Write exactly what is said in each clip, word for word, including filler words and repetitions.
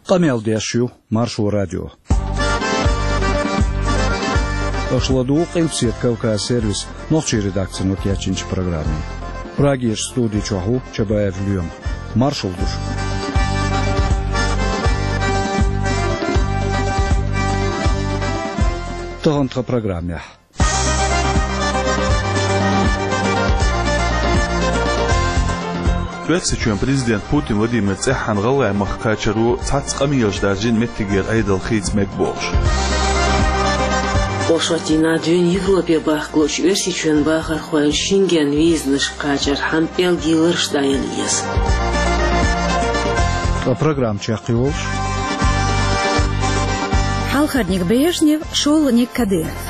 Къамел деш ю Маршо радио. Аша ладугӀу Къилбаседа Кавказ сервисан нохчийн редакцино кечйинчу программе. Прагерчу студи чохь ву Чабаев Лоьма. Маршалла ду шуьга. Тахана тхан программехь. Оьрсийчоьнан президент Путин Владимир цӀеххьана ГӀалгӀай махка кхачаро цхьацца къамелаш даржийна меттигера Ӏедал хийца мега бохуш. Оршот дийнахь дуьйна Европе бахкалучу Оьрсийчоьнан бахархой Шенген визанашка кхачархьама пӀелгийн лараш дӀаелла еза. Ткъа программа чекхйолуш. Хьалхарниг Брежнев, шолгӀаниг Кадыров.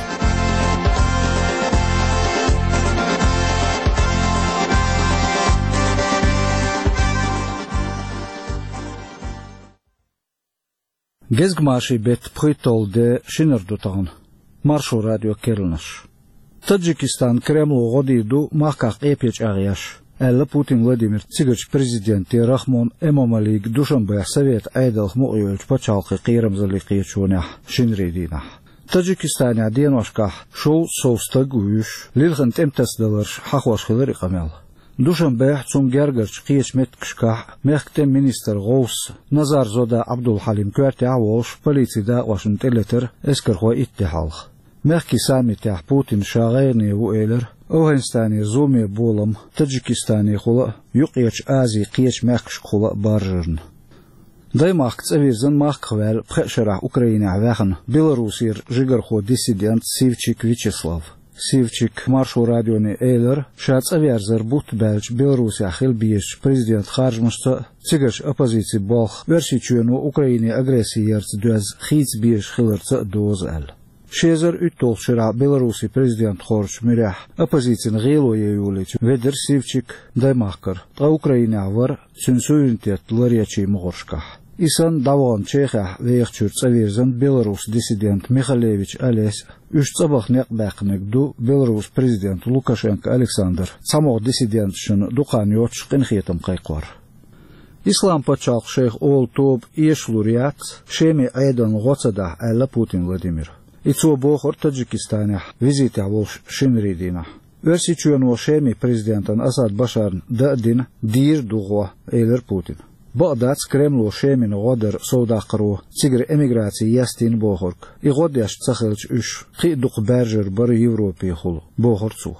Гезгмашин беттан пхийтталгӀа де, шинара ду тахана. Маршо радион керланаш. Таджикистан Кремло гӀо дийр ду махках къепе чӀагӀъеш, аьлла Путин Владимира цигарчу президенте Рахмон Эмомалига Душанбехь Советан Ӏедалх мукъайолчу пачхьалкхийн кхерамзаллин кхеташонехь шинарин дийнахь. Таджикистанехь деношкахь шовзткъа сов стаг а вуьйш, лилхина тӀематасадаларш хьахош хилира и къамел. Душанбехь, цунна гергарчу кхечу меттигашкахь мехкан тӀеман министран гӀовс Назарзода Ӏабдулхьалим коьртехь а волуш, полицин дакъошна тӀелетара эскархой итт де хьалха. Мехкийн саммитехь Путина ша гӀайгӀане ву элира АфгӀанистанера зуламе болам Таджикистанехула а, Юккъерчу Азин кхечу мехкашкахула а баржарна. Даймахка цӀа вирзина махках ваьлла пхеа шарахь Украинехь ваьхна Беларусера жигархо-диссидент Сивчик Вячеслав. Сивчика Маршо радионе элира, ша цӀа верзар бутт баьлча Беларусехь хила безачу президентан харжамашца а, цигарчу оппозицин болх Оьрсийчоьно Украине агресси ярца доьзна хийца безаш хиларца а доза аьлла. Ши эзар уьтталгӀачу шарахь Беларусин президент хоржучу муьрехь оппозицина гӀело ян йолийча ведира Сивчик Даймахкара, ткъа Украинехь вара цуьнан суверенитет ларъечийн могӀаршкахь. И санна, дӀавахана Чехехь вехачуьра цӀа вирзина Беларусин диссидент Михалевич Олесь а. Уьш цӀа баха некъ баьккхинарг ду Беларусин президент Лукашенко Александр цхьамогӀа диссиденташна дукха хан йоццуш къинхетам кхайкхор. Ислам-пачхьалкх шайх олу тоба эшалур яц, Шеман Ӏедална гӀо ца дахь, аьлла Путин Владимира. И цо бохура Таджикистанехь визитехь волуш шинарин дийнахь. Оьрсийчоьно Шеман президентана Асад Башарна дан а дина, дийр а ду гӀо, элира Путина. Бакъ дац Кремло Шемана гӀо дар совдаккхаро цигара эмиграци естийна бохург. И гӀо деш ца хилча, уьш кхин а дукха баьржар бара Европехула, бохура цо.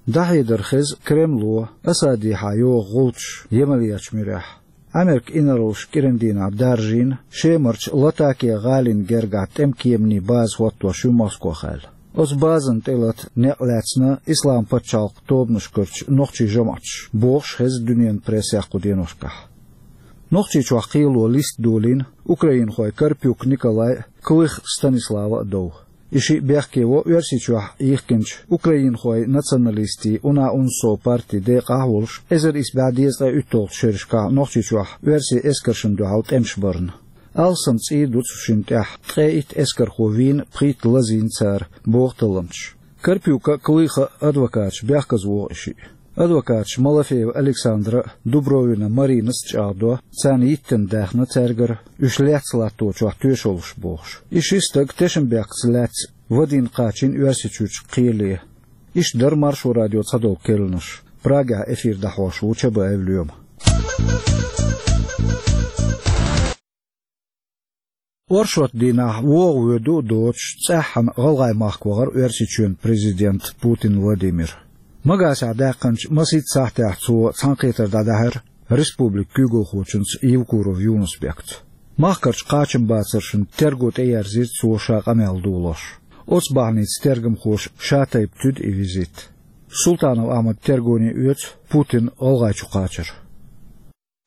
ДӀахьедар хеза Кремло Асадехьа йогӀу гӀулчаш Ямалечу муьрехь. Америкин инарлаш кӀиран дийнахь даржийна Шемарчу Латакия гӀалина гергахь тӀеман кеманийн база хӀоттош ю Москох аьлла. Оцу базана тӀелата некъ лаьцна Ислам-пачхьалкх тобанашкарчу нохчийн жамӀаташа, бохуш хеза дуьненан прессехь кху деношкахь. Нохчийчохь кхело листа долийна украинхой Карпюк Николай а, Клых Станислава а дов. И шиъ бехке во Оьрсийчохь йихкинчу украинхойн националистийн «Уна УНСО» партин декъахь а волуш, эзар исс бӀе дезткъе уьтталгӀачу шерашкахь Нохчийчохь оьрсийн эскаршна дуьхьал тӀемаш барна. Алсам цӀий ду цу шинна тӀехь, ткъе итт эскархо вийна, пхийтта лазийна цара, боху талламчаша. Карпюка а, Клыха а адвокаташа бехказа воху и шиъ. Адвокаташа Малафеева Александра а, Дубровина Маринас а чӀагӀдо, царна йиттина даьхна цаьргара, уьш лаьцна латточохь тоьшаллаш бохуш. И ши стаг тешнабехкаца лаьцна вадийна кхачийна Оьрсийчуьрчу кхеле. Иштта дара Маршо радион цхьадолу керланаш. Прагехь эфир дӀахьош ву Чабаев Лоьма. Оршот дийнахь вогӀу-воьду а доцуш, цӀеххьана ГӀалгӀай махка вахара Оьрсийчоьнан президент Путин Владимир. Магасехь даьккхинчу масийтта сахьтехь цо цхьаьнакхетар дӀадаьхьира республикан куьйгалхочуьнца Евкуров Юнус-Бекца. Махкарчу кхачамбацаршна терго тӀеерзийра цо ша къамел долош. Оцу бахьаница тергамхоша шатайпа туьду и визит. Султанов Ахьмада тергоне оьцу Путинан ГӀалгӀайчу кхачар.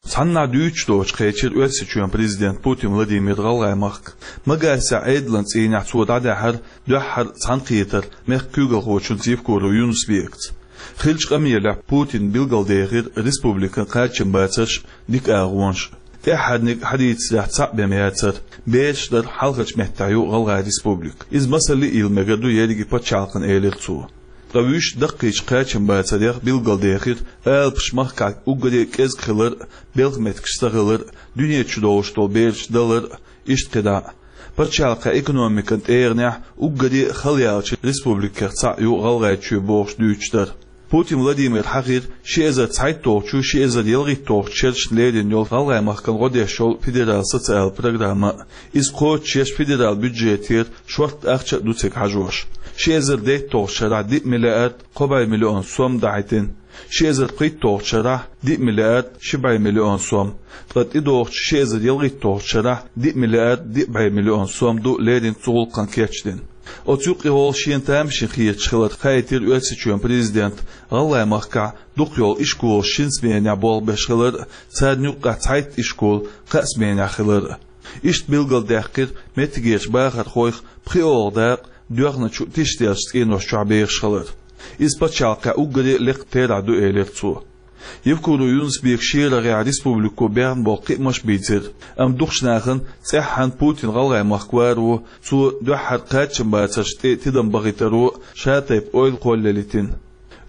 Цхьаннахьа дуьйцуш доцуш кхечира Оьрсийчоьнан президент Путин Владимир ГӀалгӀай махка. Магасехь Ӏедалан цӀийнехь цо дӀадаьхьира дуьххьара цхьаьнакхетар мехкан куьйгалхочуьнца Евкуров Юнус-Бекца. Хиллачу къамелехь Путина билгалдехира республикан кхачамбацарш, дика агӀонаш. ТӀаьххьарниг, хьадийцарехь, цхьаъ бен яцара. Бераш дара, хьалхарчу меттехь ю ГӀалгӀай республика. Иза масалле а йила мегар ду ерриге пачхьалкхана, элира цо. Ткъа вуьш даккхийчу кхачамбацарех билгалдехира алапаш махкахь уггаре а кӀезиг хилар, белхан меттигаш ца хилар, дуьнен чу долуш долу бераш далар, иштта кхидӀа а. Пачхьалкхан экономикан тӀегӀанехь уггаре а хала яьллачу республикех цхьаъ ю ГӀалгӀайчоь бохуш дуьйцуш дара. Путин Владимира хьахийра ши эзар цхьайтталгӀачу, ши эзар ялхитталгӀачу шерашна лерина йолу ГӀалгӀай махкана гӀо деш йолу федерал социал программа. Иза кхочушъеш федерал бюджетера шортта ахча а ду цига хьажош. Ши эзар дейтталгӀачу шарахь диъ миллиард кхо бӀе миллион сом дахьийтина, ши эзар пхийтталгӀачу шарахь диъ миллиард ши бӀе миллион сом, ткъа тӀедогӀучу ши эзар ялхитталгӀачу шарахь диъ миллиард диъ бӀе миллион сом ду леррина цу гӀуллакхана кечдина. Оцу юккъехула шена тамашийна хеташ хилар хаийтира Оьрсийчоьнан президента ГӀалгӀай махкахь дукха йолу ишколаш шина сменехь болх беш хилар а, царна юккъехь цхьайтта ишкол кхаа сменехь хилар а. Иштта билгалдаьккхира меттигерчу бахархойх пхоьалгӀа дакъа доьхначу тишделлачу цӀенош чохь бехаш хилар. Иза пачхьалкхехь уггаре а лекха терахь ду, элира цо. Евкуров Юнус-Бека шен рагӀехь республико баьхна болу кхиамаш а бийцира, амма дукхачу нахана цӀеххьана Путин ГӀалгӀай махка варо, цо дуьххьара кхачамбацаршна тӀе тидам бахийтаро ша тайпа ойла кхоллаялийтина.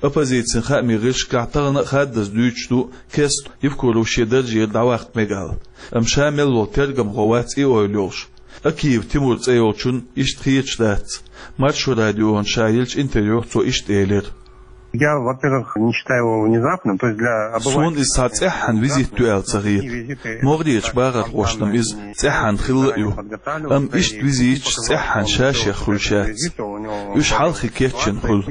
Оппозицин хаамийн гӀирсашкахь тахана а хаддаза дуьйцуш ду кеста Евкуров шен даржера дӀаваккха мега аьлла. Амма ша мел волу тергамхо вац и ойла йолуш. Акиев Тимур цӀе йолчунна иштта хеташ дац. Маршо радиона ша еллачу интервьюхь цо иштта элира. Я, во-первых, не считаю его внезапным, то есть для обывателя... Суна иза цхьа цӀеххьана визит ю аьлла ца хета. МогӀарерчу бахархошна-м иза цӀеххьана хилла а ю. Амма иштта визиташ цӀеххьана ша-шех хуьлуш яц. Уьш хьалххе кечйина хуьлу.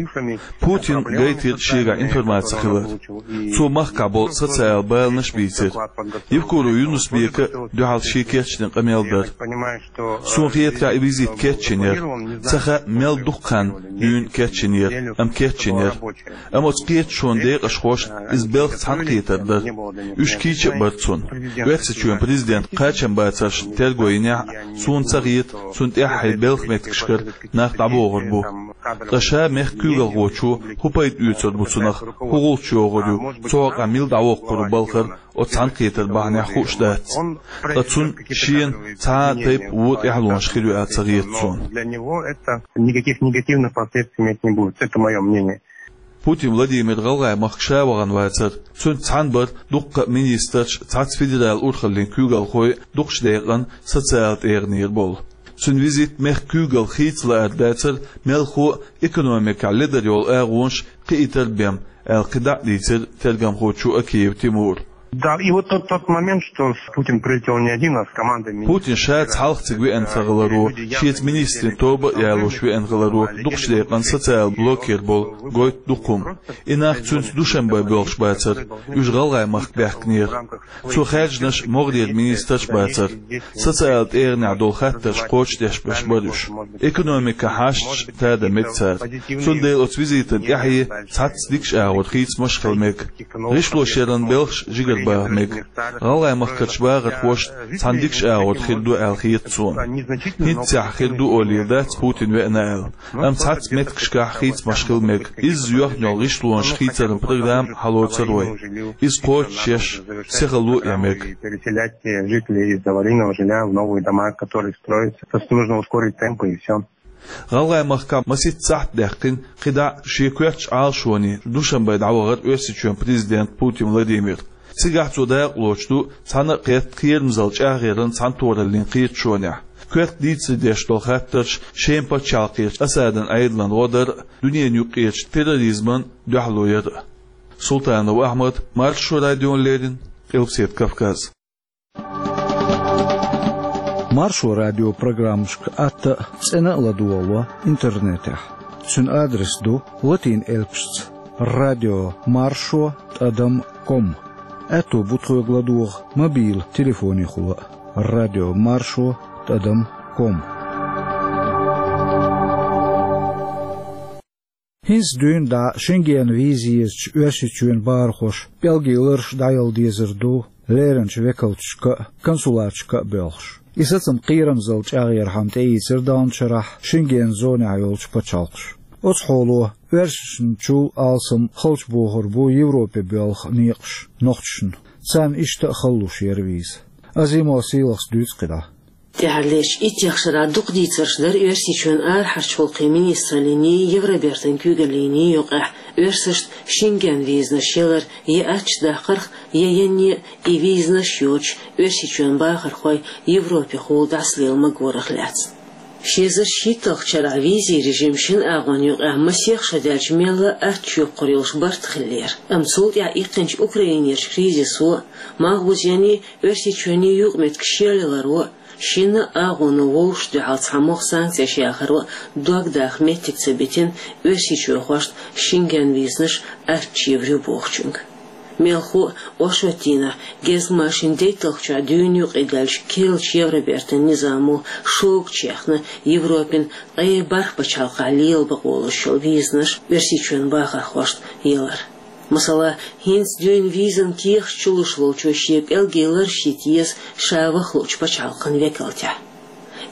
Путина гайтира шегахь информаци хилар. Цо махкахь болу социал баланаш а бийцира. Евкуров Юнус-Бека а дуьхьал шен кечдина къамел дара. Суна хетарехь, и визит кечйина яра. Ца хаьа, мел дукха хан дуьйна кечйина яра, амма кечйина яра. Амма оцу кхеташонан декъашхошна иза белхан цхьаьнакхетар дара. Уьш кийча а бара цунна. Оьрсийчоьнан президент кхачамбацаршна терго йинехь а, суна ца хета, цунна тӀаьххье белхан меттигашкара нах дӀабохур бу. Ткъа ша мехкан куьйгалхочо хӀун пайда оьцур бу цунах, хӀун гӀулч йогӀур ю, цу хьокъехь мила дӀавоккхур ву балхара, оцу цхьаьнакхетар бахьанехь хууш дац. Ткъа цунна шена цхьа а тайпа вон тӀаьхьалонаш хир ю аьлла ца хета суна. Для него это никаких негативных последствий иметь не будет. Это моё мнение. Путин Владимир ГӀалгӀай махка ша вахана вацара. Цуьнца цхьаьна бара дуккха а министраш, цхьацца федералан урхаллин куьйгалхой, дукхачу декъана социал тӀегӀанера болу. Цуьнан визит мехкан куьйгалх хийца лаар дацара, мелхо а экономикехь ледара йолу агӀонаш кхиийтар бен, аьлла кхидӀа а дийцира тергамхочо Акиев Тимура. Да, и вот тот, тот момент, что Путин прилетел не один, а с командой министров. Путин ша цхьалха цига веана ца хиларо, шеца министрийн тоба а ялош веана хиларо, дукхачу декъана социал блокера болу гойту дукха хӀума. И нах цуьнца Душанбе боьлхуш бацара, уьш ГӀалгӀай махка баьхкинера. Цо хаьржинарш могӀарера министраш бацара. Социал тӀегӀанехь долу хаттарш кхочушдеш берш бара уьш. Экономикан хьашташ тада мега цара. Цундела оцу визитан тӀаьхье цхьацца дикачу агӀор хийцамаш хила мега. ГӀишлошъяран белхаш жигарбаха мега. ГӀалгӀай махкарчу бахархошна цхьана дикачу агӀор хир ду аьлла хета суна. ХӀинццехь хир ду олийла дац Путин веана аьлла. Амма цхьацца меттигашкахь хийцамаш хила мега. Изза йоьхна йолу гӀишлонаш хийцаран программа хьалоцур вай. Иза кхочушъеш, сихало а ян мега. Переселять жителей из аварийного жилья в новые дома, которые строятся. Просто нужно ускорить темпы и всё. ГӀалгӀай махкахь масийтта сахьт даьккхина, кхидӀа а шен коьртачу Ӏалашоне Душанбе дӀавахара Оьрсийчоьнан президент Путин Владимир. Цигахь цо дакъалоцуш ду цхьана а кхетта кхерамзалла чӀагӀъяран цхьаьнатохараллин кхеташонехь. Коьрта дийцаре деш долу хаттарш Шеман пачхьалкхерчу Асадан Ӏедалан гӀо дар а, дуьненан юккъерчу терроризман дуьхьало яр а. Султанов Ахьмад, Маршо радиона леррина, Къилбаседа Кавказ. Маршо радион программашка атта а, цӀена а ладогӀало интернетехь. Цуьнан адрес ду латин элпашца: радио маршо тӀадам ком. Аьтто бу тхоьга ладогӀа мобил телефонехула а: радио маршо тӀадам ком. ХӀинца дуьйна дӀа Шенгенан виза езачу Оьрсийчоьнан бахархоша пӀелгийн лараш дӀаяла дезар ду леринчу векалчашка а, консулаташка а боьлхуш. И сацам кхерамзалла чӀагӀъярхьама тӀеийцира далначарахь Шенгенан зонехь йолчу пачхьалкхаша. Оцу хьоло оьрсашначул алсам халчу бохур бу Европе боьлху некъаш нохчашна. Царна иштта а хала луш яра виза. Азимов Сийлахьс дуьйцу кхидӀа. ТӀехьарлерчу иттех шарахь дукха дийцарш дара Оьрсийчоьнан арахьарчу гӀуллакхийн министраллиний, Евробертан куьйгаллиний юкъахь оьрсашна Шенген визанаш ялар я аттачу даккхарх, я янне а и визанаш йоцуш, Оьрсийчоьнан бахархой Европехула дӀасалела магорах лаьцна. Ши эзар шийтталгӀачу шарахь визийн режим шина агӀонна юкъахь масех шо даьлча мелла а аттачу йоккхур йолуш барт хиллера. Амма цул тӀаьхьа иккхинчу Украинерчу кризисо а, малхбузений, Оьрсийчоьний юкъаметтигаш шелъяларо а, шина а агӀоно вовшашна дуьхьал цхьа могӀа санкцеш яхаро а дог даха меттиг ца битина оьрсийчоьхошна Шенген визанаш аттачу евр ю бохучуьнга. Мелхо а, оршотан дийнахь, гезгмашин дейтталгӀачохь дуьйна юкъадаьллачу керлачу Евробертан низамо шогачу яьхна Европин ткъе бархӀ пачхьалкхехь лела бакъо луш йолу визанаш Оьрсийчоьнан бахархошна ялар. Масала, хӀинца дуьйна визан кехаташ чулуш волчо шен пӀелгийн лараш йита еза ша ваха луучу пачхьалкхан векалтехь.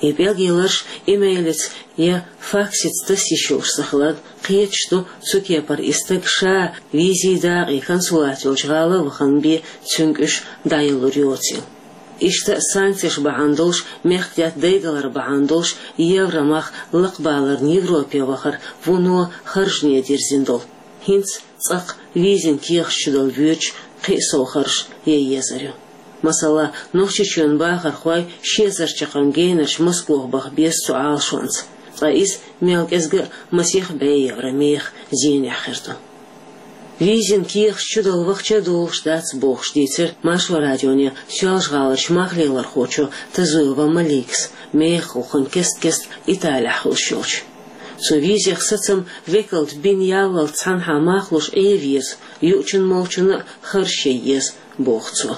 И пӀелгийн лараш имейлаца я факсаца таса йиш йолуш ца хиларна, кхеташ ду цу кепара и стаг ша визийн дакъа я консулат йолчу гӀала а вахана бен цуьнга уьш дӀаялур йоцийла. Иштта санкцеш бахьана долуш, мехкдаьтта дайдалар бахьана долуш, евро мах лакхабаларна Европе вахар вуно харжане дирзина долу. ХӀинца цкъа-кх визин кехаташ чудала воьдуш кхин а сов харжаш ян езар ю. Масала, Нохчийчоьнан бахархой ши эзар чаккхарма генарчу Москох баха беза цу Ӏалашонца. Ткъа иза мел кӀезга а масех бӀе евро меха зенехь хир ду. Визин кехаташ чудала вахча а долуш дац бохуш дийцира Маршо радионе Соьлжа-ГӀаларчу мах лелорхочо Тазуева Маликас, мехах гӀуллакхна кест-кеста Италехь хуьлуш йолчу. Цу визех сацам векалта бина яллалц цхьанхьа мах луш Ӏен веза, юучунна-молчунна а харжаш ян еза, боху цо.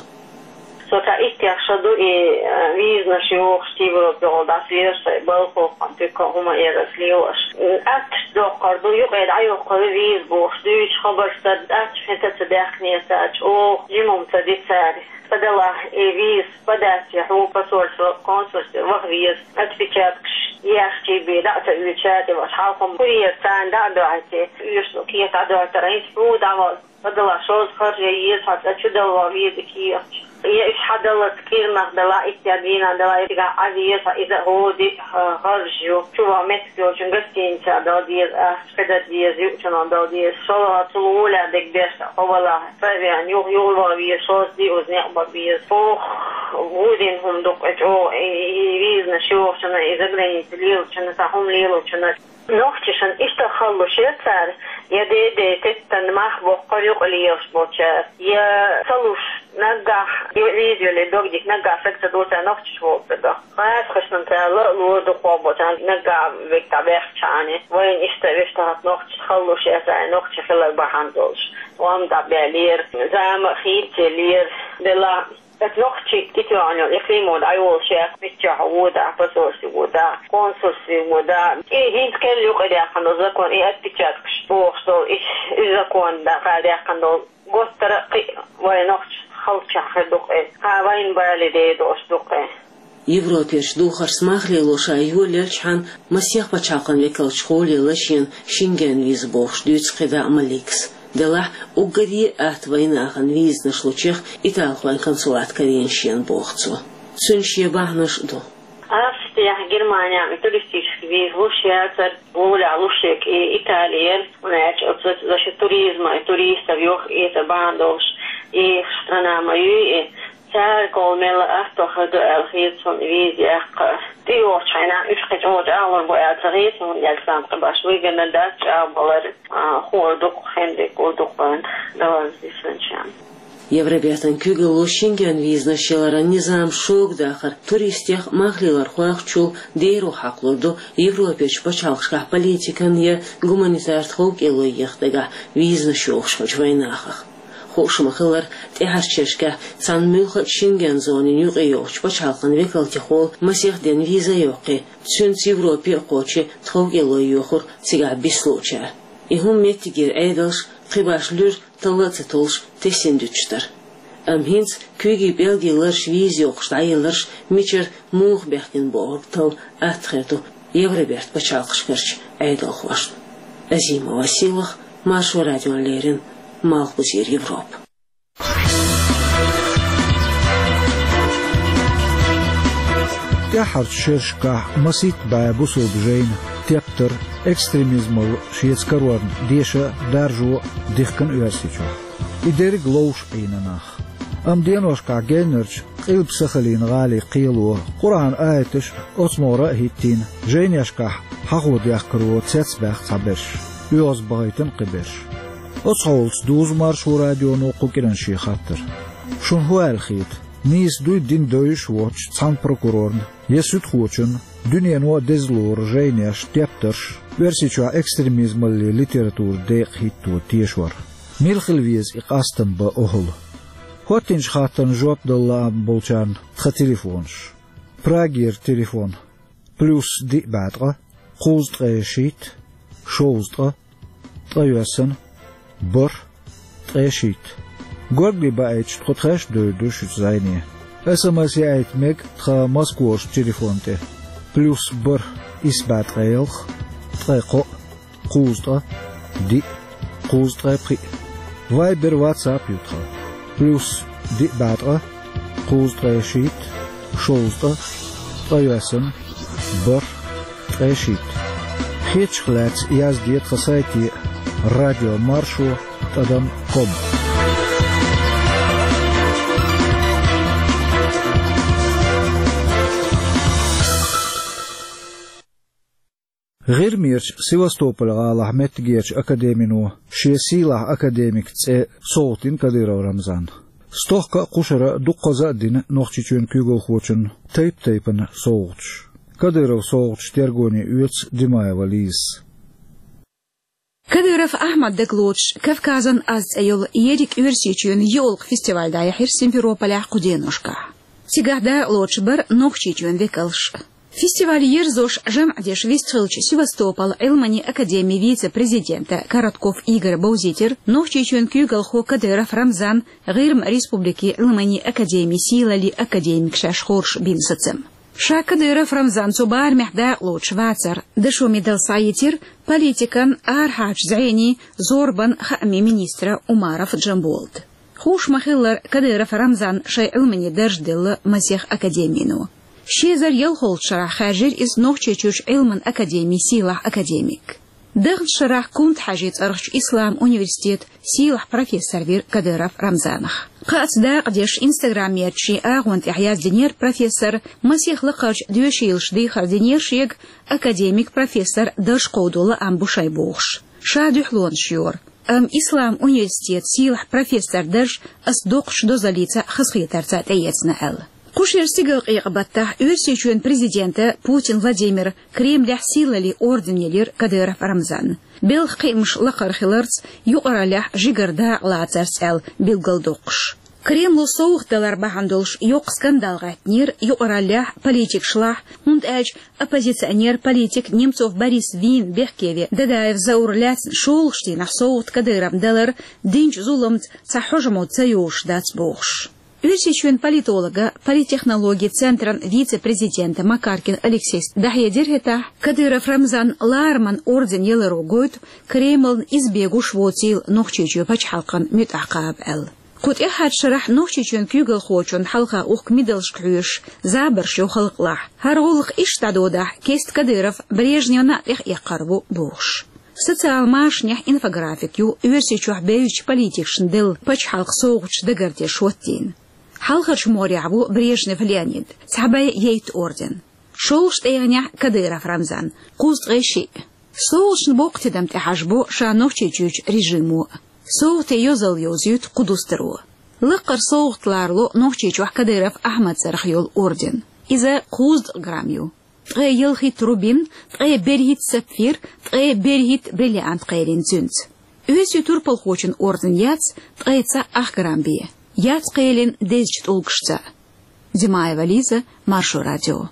Со цхьа иттех шо ду и, а, визанаш йохуш, Европехула дӀасалелаш, сайн балхахо а, туька а, хӀума а эр ас лелош. М, аттачу доккхур ду, юкъе дӀайоккхур ю виза бохуш, дуьйцуш хабарш дар, аттачу хьета ца даьхкинера цаьрца, оха жимма ца ди цара. Ца делахь, и виза подать ян хьуна посольство, консульстве ваха веза, отпечаткаш яьхчий бен дӀа а ца оьцуш, цаьрца ваха хьалхам курьер царна дӀа а доьхьийтий, уьш кехат дӀадоьттур, хӀинца хьуна дӀавала. Ца делахь, шозза харжа ян еза хьо, цкъа чудала ваха веза и кехаташ. Я уьш хьадаллалц кӀирнах делахь, иттех дийнахь делахь, я цигахь Ӏан веза хьо, иза хӀора де а, а, харжа ю. Чу ваха меттиг йолчун гостиницехь дала деза, ахча кхидӀа деза, юучунах дала деза. ШолгӀа цул гӀоле дерг деш, хьо валахь, цӀа а веана, юха, юха ваха веза, шозза де уза некъ бан беза. Ох, гӀо дина хӀума ду-кх и чӀогӀа, и, и, и визанаш йохучунна, и заграница лелочунна, цхьа хӀума лелочунна. Нохчашна иштта хала луш яра цара, я дей-дей теттина мах боккхура юкъа лелаш болчара, я ца луш наггахь, я виза йолий дог дика наггахь стаг ца дора цара нохчаш волчу стагах. Гӏазкхашна цара ла а лора дукхох боцу наггахь верг дӀабаьхча а. Вайна иштта вешта хӀокху нохчашна хала луш яра цара, нохчи хилар бахьана долуш. Ӏомма дӀабаьллера, зама а хийцаеллера, делахь Аса нохчий тӀетоьхна йолу и Климов дӀайолуш яц, миччахь ву дахь, посольстве ву дахь, консульстве ву дахь. И хӀинца керла юкъадаьккхина долу закон, и отпечаткаш бохуш долу, и, и закон дӀа-, дӀадаьккхина долу. Готтара а кхин а вайн нохчашна хала чохь хир ду-кх и. Кхин а вайна бале дер долуш ду-кх и. Европерчу духаршца мах лело ша йолаелчхьана, масех пачхьалкхан векалчу гӀоле лашийна Шенген виза бохуш дуьйцу кхидӀа а Маликас. Делахь, уггаре а атта вайнахана визанаш лучех италхойн консулат карийна шена, боху цо. Цуьнан шен бахьанаш а ду. Австрехь, Германехь и туристический виза луш яцара, гӀолехь луш ерг и Итали яра, хӀунда аьлча оцу за ши туризма и туристов йохка эца бахьана долуш, и страна ма юй и. Цара кхол мелла а атта хир ду аьлла хета суна виза яккха. ТӀейогӀучу хенахь уьш кхин чӀогӀа чӀагӀлур бу аьлла ца хета суна, аьлла сан кхин баш вигана дац чӀагӀбалар, а, хуур ду-кх, хендерг гур ду-кх вайн далаза дисанчарна. Евробертан куьйгалло Шенген визанаш яларан низам шога дахар туристех а, мах лелорхойх а чул деро хьакхалур ду Европерчу пачхьалкхашкахь политикан я гуманитар тховкӀело еха дагахь визанаш йохуш хиллачу вайнахах. Хууш ма-хиллара, тӀаьхьарчу шерашкахь цхьана муьлхха а Шенген зонин юкъайогӀучу пачхьалкхан векалтехула масех ден виза а йоккхий, цуьнца Европе а кхочий тховкӀело йохура цигахь бицлуучара. И хӀума меттигера Ӏедалш кхин баш луьра талла а ца толлуш тесина дуьтуш дара. Амма хӀинца куьйгийн пӀелгийн лараш виза йоккхуш дӀаелларш мичара муха баьхкина бохург талла атта хир ду Евроберта пачхьалкхашкарчу Ӏедалхошна. Азима Василах, Маршо радиона леррина, Малхбузера Европа. ТӀаьххьарчу шерашкахь масийтта бӀе бусалба жайна тептар, экстремизмал шеца карорна деша а, даржо а дихкина Оьрсийчохь. И дерриг ловш Ӏийна нах. Амма деношкахь геннарчу Къилба-Сахалин гӀалин кхело Къуръан аяташ а, оцу могӀара а хӀиттийна, жайнешкахь хьахо дехкаро цецбаьхна цхьаберш, оьгӀазбахийтина кхиберш. Оцу хьолаца дузу Маршо радионо кху кӀиран шен хаттар. Шуна хӀун аьлла хета? Нийса дуй, дина девзаш а воцучу цхьана прокурорна я суьдхочунна дуьнено а деза лору жайнеш, тептарш, Оьрсийчохь экстремизмаллин литературан декъа хӀитто тешор? Мила хила веза и къастам бан охӀла? ХӀоттийначу хаттарна жоп дала лаам болчарна тхан телефонаш. Прагера телефон: плюс диъ бӀе ткъа, кхузткъе шийтта, шовзткъа, ткъайоьсна, бархӀ, ткъе шийтта. Горгали баийтича, тхо тхаьш а девр ду шуьца зӀене. СМС яийта мега тхан Москварчу телефон тӀе: плюс бархӀ, исс бӀе ткъе ялх, ткъе кхоъ, кхузткъа, диъ, кхузткъе пхиъ. Вайбер, ватсап ю тхан: плюс диъ бӀе ткъа, кхузткъе шийтта, шовзткъа, ткъайоьсна, бархӀ, ткъе шийтта. Хетачух лаьцна язде тхан сайте: радио маршо тӀадам ком. ГӀирмерчу Севастополь-гӀалахь меттигерчу академино шен сийлахь академик цӀе совгӀатдина Кадыров Рамзанна. Стохка а, кхушара а дуккхаза а дина Нохчийчоьнан куьйгалхочунна тайп-тайпана совгӀаташ. Кадыровн совгӀаташ тергоне оьцу Димаева Лизас. Кадыров Ахьмад дагалоцуш, «Кавказан аз» цӀе йолу ерриг Оьрсийчоьнан йоьалгӀа фестиваль дӀаяьхьира Симферополехь кху деношкахь. Цигахь дакъалоцуш бара Нохчийчоьнан векалш а. Фестиваль ерзош, жамӀ деш вистхиллачу Севастополь Ӏилманийн академин вице-президента Коротков Игоря бовзийтира Нохчийчоьнан куьйгалхо Кадыров Рамзан ГӀирма Республикин Ӏилманийн академин сийлаллин академик шаьш хоржуш бина сацам. Ша Кадыров Рамзан цу барамехь дакъалоцуш вацар, дашо медаль схьаийцира политикан, арахьарчу зӀенийн, зорбан, хаамийн министра Умаров Джамболата. Хууш ма-хиллара, Кадыров Рамзанна шайн Ӏилманийн дарж делла масех академино. Ши эзар ялхолгӀачу шарахь хаьржира иза Нохчийчуьрчу Ӏилманан академин сийлахь академик. Даханчу шарахь Кунта-Хьаьжин цӀарахчу ислам университетан сийлахь профессор вира Кадыров Рамзанах. Кхаъца дакъа деш, Instagram-ерчу шен агӀон тӀехь яздинера профессора, масех лакхарчу доьшийлаша дехар динера шега, академик, профессор дарж кховдо лаам бу шайн бохуш. Ша дуьхьалонаш йора. Амма ислам университетан сийлахь профессоран дарж ас доккхачу дозаллица, хазахетарца тӀеэцна аьлла. Кху шеран стигалкъекъа баттахь Оьрсийчоьнан президента Путин Владимира Кремлехь сийлаллин орден елира Кадыров Рамзанна, белхан кхиамаш лакхара хиларца, юкъараллехь жигара дакъа лацарца аьлла билгалдоккхуш. Кремло совгӀат далар бахьана долуш йоккха скандал гӀаьттинера юкъараллехь, политикашлахь, хӀунда аьлча оппозиционер, политик Немцов Борис вийна бехке вен Дадаев Заур лаьцна шолгӀачу дийнахь совгӀат Кадыровна далар динчу зуламца цхьа хьожамо ца йолуш дац бохуш. Оьрсийчоьнан политолога, политтехнологийн центран вице-президента Макаркин Алексейс дӀахьедира хӀетахь, Кадыров Рамзанна лараман орден яларо гойту Кремлна иза бегуш воцийла Нохчийчоь пачхьалкхан муьтӀахь кхаба аьлла. Кху тӀаьххьарчу шарахь Нохчийчоьнан куьйгалхочунна хьалха ухку медалшка хьоьжуш забарш йо халкъалахь. ХӀара гӀуллакх иштта дӀадодахь, кеста Кадыров Брежневна а тӀехъекхар ву бохуш. Социал машанехь инфографик ю Оьрсийчохь бевзачу политикашна делла пачхьалкхан совгӀаташ дагардеш хӀоттийна. Хьалхарчу могӀарехь ву Брежнев Леонид, цхьа бӀе ейтта орден. ШолгӀачу тӀегӀанехь Кадыров Рамзан, кхузткъе шиъ. СовгӀаташна боккха тидам тӀехьажабо ша Нохчийчуьрчу режимо а. СовгӀатийн йозалла йовзуьйту кху дустаро. Лакхара совгӀат ларало Нохчийчохь Кадыров Ахьмадан цӀарах йолу орден. Иза кхузткъа грамм ю. Ткъе ялхитта рубин, ткъе берхӀитта сапфир, ткъе берхӀитта бриллиант кхелина цуьнца. Оьрсийн турпалхочун орден яц ткъе цхьаъ ах грамм бен. Яц кхелина дезачу тӀулгашца. Димаева Лиза, Маршо радио.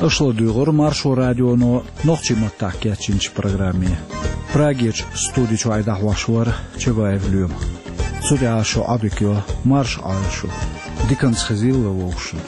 Аша ладуьйгӀура Маршо радионо нохчийн маттахь кечйинчу программе. Прагерчу студи чуьра дӀахьош вара Чабаев Лоьма. Цу тӀехь шу Ӏодика йо, марша Ӏойла шу. Диканца хезийла вовшашна.